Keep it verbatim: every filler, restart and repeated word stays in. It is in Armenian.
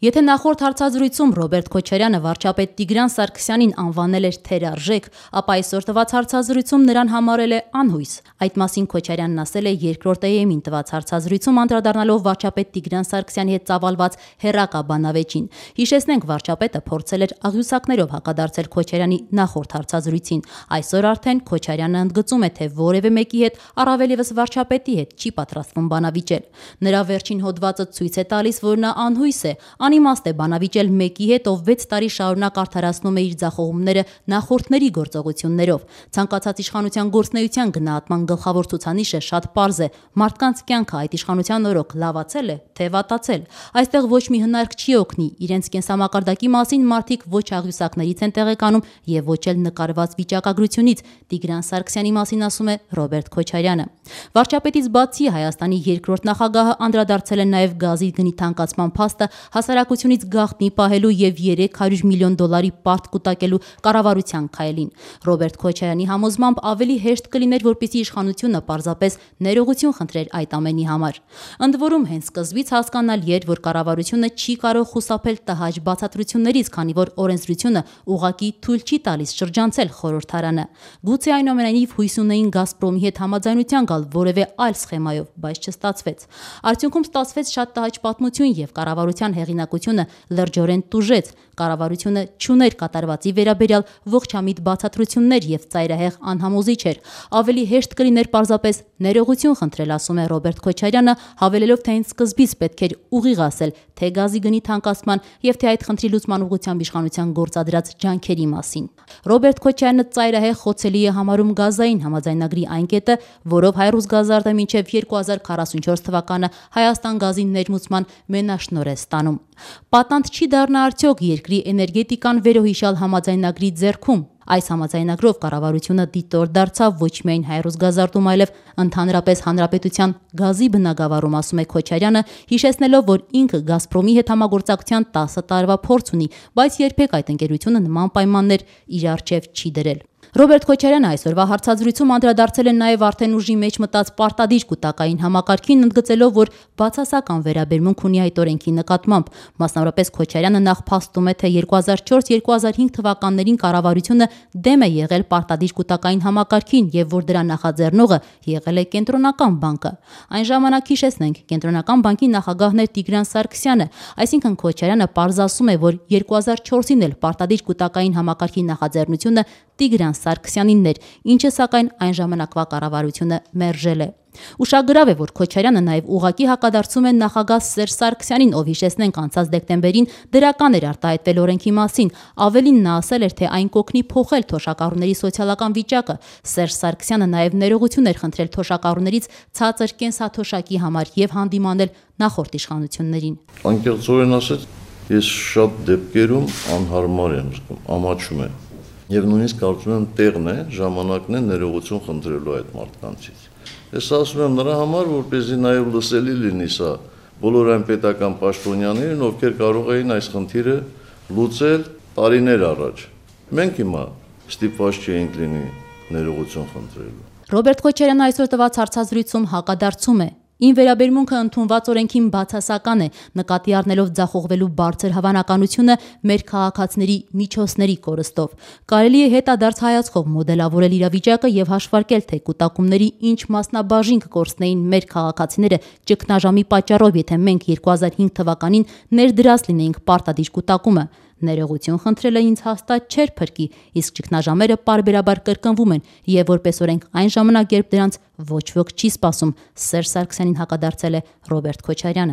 Եթե նախորդ հարցազրույցում Ռոբերտ Քոչարյանը վարչապետ Տիգրան Սարգսյանին անվանել էր թերարժեք, ապա այսօր տված հարցազրույցում նրան համարել է անհույս։ Այդ մասին Քոչարյանն ասել է երկրորդ Է Էմ-ին տված հարցազրույցում, անդրադառնալով վարչապետ Տիգրան Սարգսյանի հետ ծավալված հեռակա բանավեճին։ Հիշեցնենք, վարչապետը փորձել էր աղյուսակներով հակադարձել Քոչարյանի նախորդ հարցազրույցին։ Այսօր արդեն Քոչարյանը ընդգծում է, թե որևէ մեկի հետ, առավել ևս վարչապետի հետ, չի պատրաստվում բանավիճել։ Նրա վերջին հոդվածը ցույց է տալիս, որ նա անհույս է, անիմաստ է բանավիճել մեկի հետ, ով վեց տարի շարունակ արդարացնում է իր ձախողումները նախորդների գործողություններով։ Ցանկացած իշխանության գործունեության գնահատման գլխավոր ցուցանիշը շատ պարզ է՝ մարդկանց կյանքը այդ իշխանության օրոք լավացել է, թե վատացել։ Այստեղ ոչ մի հնարք չի օգնի, իրենց կենսամակարդակի մասին մարդիկ ոչ աղյուսակներից են տեղեկանում եւ ոչ էլ նկարված վիճակագրությունից, Տիգրան Սարգսյանի մասին ասում է Ռոբերտ Քոչարյանը։ Վարչապետից բացի Հայաստանի երկրորդ նախագահը անդրադարձել է նաեւ գազի գնի թանկացման փաստը հասարակությունից գաղտնի պահելու եւ երեք հարյուր միլիոն դոլարի պարտ կուտակելու կառավարության քայլին։ Ռոբերտ Քոչարյանի համոզմամբ ավելի հեշտ կլիներ, որպեսզի իշխանությունը պարզապես ներողություն խնդրեր այդ ամենի համար։ Ընդ որում, հենց սկզբից հասկանալի էր, որ կառավարությունը չի կարող խուսափել տհաճ բացատրություններից, քանի որ օրենսդրությունը ուղղակի թույլ չի տալիս շրջանցել խորհրդարանը։ Գուցե այնուամենայնիվ հույս ունեին Գազպրոմի հետ համաձայնության գալ որևէ այլ սխեմայով, բայց չստացվեց։ Արդյունքում ստացվեց շատ տհաճ պատմություն եւ կառավարության հեղինակությունը լրջորեն տուժեց։ Կառավարությունը չուներ կատարվածի վերաբերյալ ողջամիտ բացատրություններ եւ ծայրահեղ անհամոզիչ էր։ Ավելի հեշտ կլիներ պարզապես ներողություն խնդրել, ասում է Ռոբերտ Քոչարյանը, հավելելով, թե հենց սկզբից պետք էր ուղիղ ասել թե գազի գնի թանկացման եւ թե այդ խնդրի լուծման ուղղությամբ իշխանության գործադրած ջանքերի մասին։ Ռոբերտ Քոչարյանը ծայրահեղ խոցելի է համարում գազային համաձայնագրի այն կետը, որով Հայրուսգազարդը մինչև երկու հազար քառասունչորս թվականը Հայաստան գազի ներմուծման մենաշնորհ է ստանում։ Պատանդ չի դառնա արդյոք երկրի էներգետիկան վերոհիշյալ համաձայնագրի ձեռքում։ Այս համաձայնագրով կառավարությունը դիտոր դարձավ ոչ միայն Հայրուսգազարդում, այլև ընդհանրապես հանրապետության գազի բնագավառում, ասում է Քոչարյանը, հիշեցնելով, որ ինքը Գազպրոմի հետ համագործակցության տասը տարվա փորձ ունի, բայց երբեք այդ ընկերությունը նման պայմաններ իր առջև չի դրել։ Ռոբերտ Քոչարյանը այսօրվա հարցազրույցում անդրադարձել է նաև արդեն ուժի մեջ մտած պարտադիր կուտակային համակարգին, ընդգծելով, որ բացասական վերաբերմունք ունի այդ օրենքի նկատմամբ։ Մասնավորապես Քոչարյանը նախ փաստում է, թե երկու հազար չորս երկու հազար հինգ թվականներին կառավարությունը դեմ է եղել պարտադիր կուտակային համակարգին եւ որ դրա նախաձեռնողը եղել է Կենտրոնական բանկը։ Այն ժամանակ, հիշեցնենք, Կենտրոնական բանկի նախագահն էր Տիգրան Սարգսյանը, այսինքն Քոչարյանը պարզասում է, որ երկու հազար չորսին էլ պարտադիր կուտակային համակարգի նախաձեռնությունը Տիգրան Սարգսյանինն էր, ինչը սակայն այն ժամանակվա կառավարությունը մերժել է։ Ուշագրավ է, որ Քոչարյանը նաև ուղղակի հակադարձում է նախագահ Սերժ Սարգսյանին, ով, հիշեցնենք, անցած դեկտեմբերին դրական էր արտահայտվել օրենքի մասին։ Ավելին, նա ասել էր, թե այն կօգնի փոխել թոշակառուների սոցիալական վիճակը։ Սերժ Սարգսյանը նաև ներողություն էր խնդրել թոշակառուներից ցածր կենսաթոշակի համար եւ հանդիմանել նախորդ իշխանություններին։ Անկեղծորեն ասած, ես շատ դեպքերում անհարմար եմ զգում, ամաչում եմ։ Եվ նույնիսկ կարծում եմ տեղն է, ժամանակն է ներողություն խնդրելու այդ մարդկանցից։ Ես ասում եմ նրա համար, որպեսզի նաև լսելի լինի սա բոլոր այն պետական պաշտոնյաներին, ովքեր կարող էին այս խնդիրը լուծել տարիներ առաջ։ Մենք հիմա ստիպված չենք լինի ներողություն խնդրելու։ Ռոբերտ Քոչարյանը այսօր տված հարցազրույցում հակադարձում է. Ին վերաբերմունքը ընդունված օրենքին բացասական է, նկատի առնելով ձախողվելու բարձր հավանականությունը մեր քաղաքացիների միջոցների կորստով։ Կարելի է հետադարձ հայացքով մոդելավորել իրավիճակը եւ հաշվարկել, թե կուտակումների ինչ մասնաբաժին կկորցնեին մեր քաղաքացիները ճգնաժամի պատճառով, եթե մենք երկու հազար հինգ թվականին ներդրած լինեինք պարտադիր կուտակումը։ Ներողություն խնդրելը ինձ հաստատ չէր փրկի, իսկ ճգնաժամերը պարբերաբար կրկնվում են եւ որպես օրենք այն ժամանակ, երբ դրանց ոչ ոք չի սպասում, Սերժ Սարգսյանին հակադարձել է Ռոբերտ Քոչարյանը։